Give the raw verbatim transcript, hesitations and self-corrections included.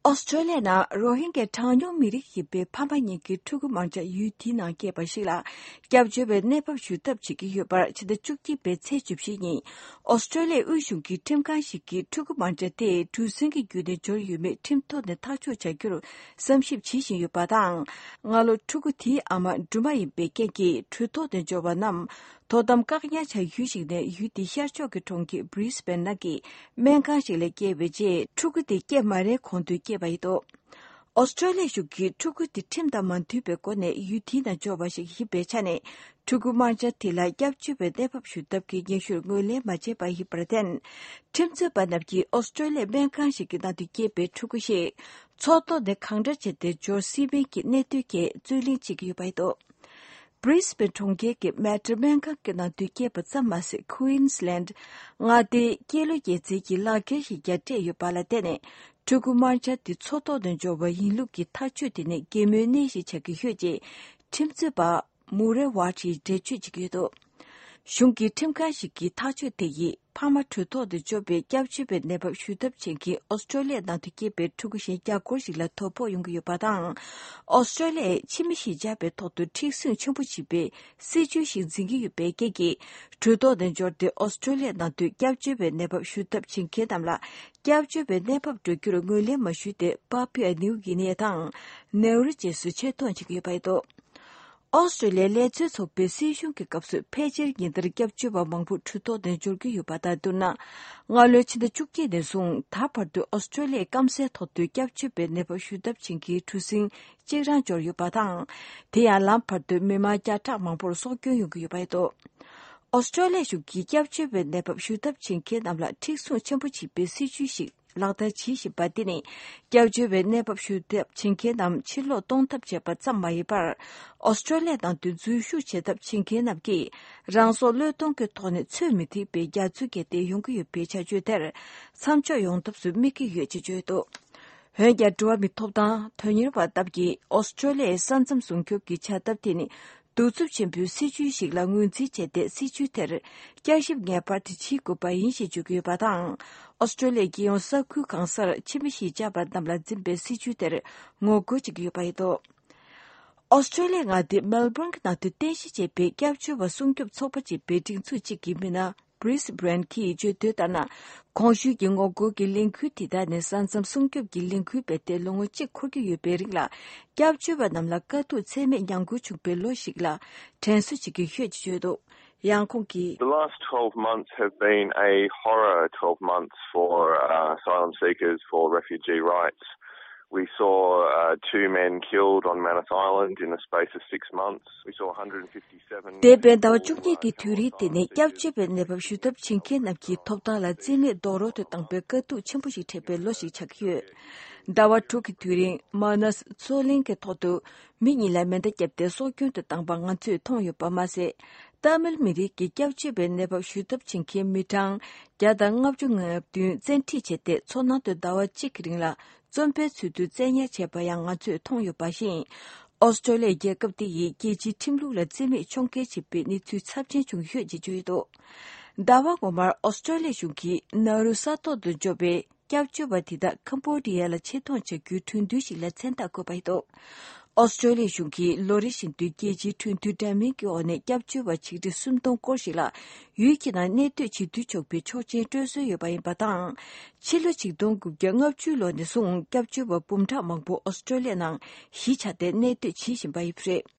ཨོ་སི་ཀྲོ་ལི་ཡའི་ནང་རོ་ཧིན་གྱི་གྲངས་ཉུང་མི་རིགས་ཡིན་པའི་ཕ་མ་གཉིས་ཀྱི་ཕྲུ་གུ་མང་ཆེ་ཡུལ་དེའི་ནང་སྐྱེས་པ་ཞིག་ལ་སྐྱབས་བཅོལ་བའི་གནས་བབ་ཞུ་ཐབས་བྱེད་ཀྱི་ཡོད་པར། ཕྱི་ཟླ་བཅུ་གཅིག་པའི་ཚེས་བཅུ་བཞི་ཉིན་ཨོ་སི་ཀྲོ་ལི་ཡའི་དབུས་གཞུང་གི་ཁྲིམས་ཁང་ཞིག་གིས་ཕྲུ་གུ་མང་ཆེ་དེ་གྲུ་གཟིངས་ཀྱི་བརྒྱུད་ནས་འབྱོར་ཡོད་མེད་ཁྲིམས་ཐོག་ནས་ཐག་གཅོད་བྱ་རྒྱུར་བསམ་ཞིབ་བྱེད་བཞིན་ཡོད་པ་དང་། སྔ་ལོ་ཕྲུ་གུ་དེའི་ཨ་མ་སྦྲུམ་མ་ཡིན་པའི་རྐྱེན་གྱིས་གྲོས་ཐོག་ནས་འབྱོར་བ་རྣམས། དོ་དམ་བཀག་ཉར་བྱ་ཡུལ་ཞིག་ནས་ཡུལ་དེའི་ཤར་ཕྱོགས་ཀྱི་གྲོང་ཁྱེར་Brisbane་ནང་གི་སྨན་ཁང་ཞིག་ལ་བསྐྱལ་བའི་རྗེས། ཕྲུ་གུ་དེ་སྐྱེས་མ་རན་གོང་དུ་སྐྱེས་པ་ཡིན་འདུག་ཨོ་སི་ཀྲོ་ལི་ཡ་གཞུང་གིས་ཕྲུ་གུ་དེ་ཁྲིམས་དང་མ་མཐུན་པའི་སྒོ་ནས་ཡུལ་དེའི་ནང་འབྱོར་བ་ཞིག་ཡིན་པའི་ཆ་ནས། ཕྲུ་གུ་དམར་འབྱར་དེ་ལ་སྐྱབས་བཅོལ་བའི་གནས་བབ་ཞུ་ཐབས་ཀྱི་སྙན་ཞུར་ངོས་ལེན་མ་བྱས་པ་ཡིན་པར་བརྟེན། ཁྲིམས་རྩོད་པ་རྣམས་ཀྱིས་ཨོ་སི་ཀྲོ་ལི་ཡའི་སྨན་ཁང་ཞིག་གི་ནང་དུ་སྐྱེས་པའི་ཕྲུ་གུ་ཞིག་མཚོ་ཐོག་ནས་གང་འདྲ་བྱས་ཏེ་འབྱོར་སྲིད་མིན་གྱི་གནད་དོན་གྱི་རྩོད་གླེང་བྱེད་ཀྱི་ཡོད་པ་ཡིན་འདུག Brisbane་གྲོང་ཁྱེར་གྱི་Mater་སྨན་ཁང་གི་ནང་དུ་སྐྱེས་པ་ཙམ་མ་ཟད། Queensland་མངའ་སྡེའི་སྐྱེས་ལོ་རྒྱས་འཛིན་གྱི་ལག་འཁྱེར་ཞིག་ཀྱང་སྤྲད་ཡོད་པ་ལ་བརྟེན་ནས། ཕྲུ་གུ་དམར་འབྱར་དེ་མཚོ་ཐོག་ནས་འབྱོར་བ་ཡིན་ལུགས་ཀྱི་ཐག་གཅོད་དེ་ནི་གད་མོའི་གནས་ཤིག་ཆགས་ཀྱི་ཡོད་ཅེས་ཁྲིམས་རྩོད་པ་Murray Watt་ཡིས་འགྲེལ་བརྗོད་བྱེད་ཀྱི་ཡོད་འདུག་གཞུང་གི་ཁྲིམས་ཁང་ཞིག་གིས་ཐག་གཅོད་དེ་ཡིས། ཕ་མ་གྲོས་ཐོག་ཏུ་འབྱོར་བའི་སྐྱབས་བཅོལ་བའི་གནས་བབ་ཞུ་ཐབས་བྱེད་མཁན་ཨོ་སི་ཀྲོ་ལི་ཡའི་ནང་དུ་སྐྱེས་པའི་ཕྲུ་གུ་གཞན་བརྒྱ་སྐོར་ཞིག་ལ་དོ་ཕོག་ཡོང་གི་ཡོད་པ་དང་། ཨོ་སི་ཀྲོ་ལི་ཡས་ཕྱི་མི་གཞིས་ཆགས་པའི་ཐོག་ཏུ་མཁྲེགས་བཟུང་ཆེན་པོ་བྱེད་པའི་སྲིད་ཇུས་ཤིག་འཛིན་གྱི་ཡོད་པའི་རྐྱེན་གྱིས། གྲོས་ཐོག་ཏུ་འབྱོར་ཏེ་ཨོ་སི་ཀྲོ་ལི་ཡའི་ནང་དུ་སྐྱབས་བཅོལ་བའི་གནས་བབ་ཞུ་ཐབས་བྱེད་མཁན་རྣམས་ལ་སྐྱབས་བཅོལ་བའི་གནས་བབ་སྤྲོད་རྒྱུར་ངོས་ལེན་མ་ཞུས་ཏེ། Papua New Guinea་དང་ནེའུ་རུ་བཅས་སུ་ཆེད་གཏོང་བྱེད་ཀྱི་ཡོད་པ་རེད་འདུག་ཨོ་སི་ཀྲོ་ལི་ཡའི་ལས་བཙུན་ཚོགས་པའི་སྲིད་གཞུང་གི་སྐབས་སུ་ཕལ་ཆེར་ཉིན་ལྟར་སྐྱབས་བཅོལ་བ་མང་པོ་གྲོས་ཐོག་ནས་འབྱོར་གྱི་ཡོད་པ་དང་བསྡུར་ན། སྔ་ལོའི་ཕྱི་ཟླ་བཅུ་གཅིག་ནས་བཟུང་ད་བར་དུ་ཨོ་སི་ཀྲོ་ལི་ཡའི་སྐམ་སའི་ཐོག་ཏུ་སྐྱབས་བཅོལ་བའི་གནས་བབ་ཞུ་ཐབས་བྱེད་མཁན་གྲུ་གཟིངས་གཅིག་རང་འབྱོར་ཡོད་པ་དང་། དེ་ཡང་ལམ་བར་དུ་མི་མང་བརྒྱ་ཕྲག་མང་པོར་སྲོག་སྐྱོན་ཡོང་གི་ཡོད་པ་རེད་འདུག་ཨོ་སི་ཀྲོ་ལི་ཡ་གཞུང་གིས་སྐྱབས་བཅོལ་བའི་གནས་བབ་ཞུ་ཐབས་བྱེད་མཁན་རྣམས་ལ་མཁྲེགས་བཟུང་ཆེན་པོ་བྱེད་པའི་སྲིད་ཇུས་ཤིག་ལག་བསྟར་བྱེད་བཞིན་པ་འདི་ནི། སྐྱབས་བཅོལ་བའི་གནས་བབ་ཞུ་ཐབས་བྱེད་མཁན་རྣམས་ཕྱིར་ལོག་གཏོང་ཐབས་བྱས་པ་ཙམ་མ་ཡིན་པར། ཨོ་སི་ཀྲོ་ལི་ཡ་ནང་དུ་འཛུལ་ཞུགས་བྱེད་ཐབས་བྱེད་མཁན་རྣམས་ཀྱིས། རང་སྲོག་བློས་གཏོང་གི་ཐོག་ནས་ཚོད་མི་ཐིག་པའི་རྒྱ་མཚོ་བརྒལ་ཏེ་ཡོང་གི་ཡོད་པའི་བྱ་སྤྱོད་དེར། མཚམས་འཇོག་ཡོང་ཐབས་སུ་དམིགས་ཀྱི་ཡོད་ཅེས་བརྗོད་འདུག་འོན་ཀྱང་། འགྲོ་བ་མིའི་ཐོབ་ཐང་དོན་གཉེར་བ་ལྟར་གྱིས། ཨོ་སི་ཀྲོ་ལི་ཡའི་ས་མཚམས་སྲུང་སྐྱོབ་ཀྱི་བྱ་ཐབས་དེ་ནི། གདུག་རྩུབ་ཆེན་པོའི་སྲིད་ཇུས་ཤིག་ལ་ངོས་འཛིན་བྱས་ཏེ། སྲིད་ཇུས་དེར་བསྐྱར་ཞིབ་ངེས་པར་དུ་བྱེད་དགོས་པ་ཡིན་ཞེས་བརྗོད་ཀྱི་ཡོད་པ་དང་། ཨོ་སི་ཀྲོ་ལི་ཡའི་རྒྱལ་ཡོངས་ས་ཁུལ་གང་སར་ཕྱི་མི་གཞིས་ཆགས་པ་རྣམས་ལ་འཛིན་པའི་སྲིད་ཇུས་དེར་ངོ་རྒོལ་བྱེད་ཀྱི་ཡོད་པ་ཡིན་འདུག་ཨོ་སི་ཀྲོ་ལི་ཡའི་མངའ་སྡེ་མེལ་བྷོན་གྱི་ནང་དུ་རྟེན་གཞི་བྱས་པའི་སྐྱབས་བཅོལ་བ་སྲུང་སྐྱོབ་ཚོགས་པ་ཅེས་པའི་སྒྲིག་འཛུགས་གཅིག་གི་མི་སྣ་Chris Brand་གྱིས་བརྗོད་དོན་ལྟར་ན། གོང་ཞུས་ཀྱི་ངོ་རྒོལ་གྱི་ལས་འགུལ་དེ་དག་ནི་ས་མཚམས་སྲུང་སྐྱོབ་ཀྱི་ལས་འགུལ་སྤེལ་ཏེ་ལོ་ངོ་གཅིག་འཁོར་གྱི་ཡོད་པའི་རིང་ལ། སྐྱབས་བཅོལ་བ་རྣམས་ལ་དཀའ་སྡུག་ཚད་མེད་མྱངས་དགོས་བྱུང་པའི་ལོ་ཞིག་ལ་དྲན་གསོ་བྱེད་ཀྱི་ཡོད་ཅེས་བརྗོད་འདུག་ཡང་ཁོང་གིས། The last twelve months have been a horror twelve months for uh, asylum seekers, for refugee rights. We saw uh, two men killed on Manus Island in the space of six months. We saw one hundred fifty འདས་པའི་ཟླ་བ་བཅུ་གཉིས་ཀྱི་དུས་རིང་དེ་ནི་སྐྱབས་བཅོལ་བའི་གནས་བབ་ཞུ་ཐབས་བྱེད་མཁན་རྣམས་ཀྱི་ཐོབ་ཐང་ལ་རྩིས་མེད་རྡོག་རོལ་དུ་བཏང་པའི་དཀའ་སྡུག་ཆེན་པོ་ཞིག་འཕྲད་པའི་ལོ་ཞིག་ཆགས་ཀྱི་ཡོད། ཟླ་བ་དྲུག་གི་དུས་རིང་མ་ནཱས་མཚོ་གླིང་གི་ཐོག་ཏུ་མི་གཉིས་ལ་མེ་མདའ་བརྒྱབ་སྟེ་སྲོག་སྐྱོན་དུ་བཏང་པ་ང་ཚོས་མཐོང་ཡོད་པ་མ་ཟད། ཏཱ་མིལ་མི་རིགས་ཀྱི་སྐྱབས་བཅོལ་བའི་གནས་བབ་ཞུ་ཐབས་བྱེད་མཁན་མི་གྲངས་བརྒྱ་དང་ལྔ་བཅུ་ང་བདུན་བཙན་ཁྲིད་བྱས་ཏེ། མཚོ་ནང་དུ་ཟླ་བ་གཅིག་གི་རིང་ལ་བཙོན་པའི་ཚུལ་དུ་བཙན་ཉར་བྱས་པ་ཡང་ང་ཚོས་མཐོང་ཡོད་པ་བཞིན། ཨོ་སི་ཀྲོ་ལི་ཡ་རྒྱལ་ཁབ་དེ་ཡིས་རྒྱལ་སྤྱིའི་ཁྲིམས་ལུགས་ལ་རྩིས་མེད་ཕྱོགས་འགལ་བྱས་པའི་གནས་ཚུལ་ཚབས་ཆེན་བྱུང་ཡོད་ཅེས་བརྗོད་ཡོད་འདུག་ཟླ་བ་སྔོན་མར་ཨོ་སི་ཀྲོ་ལི་ཡ་གཞུང་གིས་ནཱ་རུ་ས་ཐོག་ཏུ་འབྱོར་བའི་སྐྱབས་བཅོལ་བ་དེ་དག་ཁམ་བྷོ་ཌི་ཡ་ལ་ཆེད་གཏོང་བྱ་རྒྱུའི་གྲོས་མཐུན་ཞིག་ལ་མཚན་རྟགས་བཀོད་པ་ཡིན་འདུག་ཨོ་སི་ཀྲོ་ལི་ཡ་གཞུང་གིས་ལོ་རེ་བཞིན་དུ་རྒྱལ་སྤྱིའི་གྲོས་མཐུན་འདྲ་མིན་གྱི་འོག་ནས་སྐྱབས་བཅོལ་བ་ཆིག་ཁྲི་སུམ་སྟོང་སྐོར་ཞིག་ལ་ཡུལ་གྱི་ནང་གནས་སྡོད་བྱེད་དུ་ཆོག་པའི་ཆོག་མཆན་སྤྲོད་སྲོལ་ཡོད་པ་ཡིན་པ་དང་། ཕྱི་ལོ་ཆིག་སྟོང་དགུ་བརྒྱ་ལྔ་བཅུ་ལོ་ནས་བཟུང་སྐྱབས་བཅོལ་བ་འབུམ་ཕྲག་མང་པོ་ཨོ་སི་ཀྲོ་ལི་ཡའི་ནང་གཞིས་ཆགས་ཏེ་གནས་སྡོད་བྱེད་བཞིན་པ་ཡིན་པ་རེད།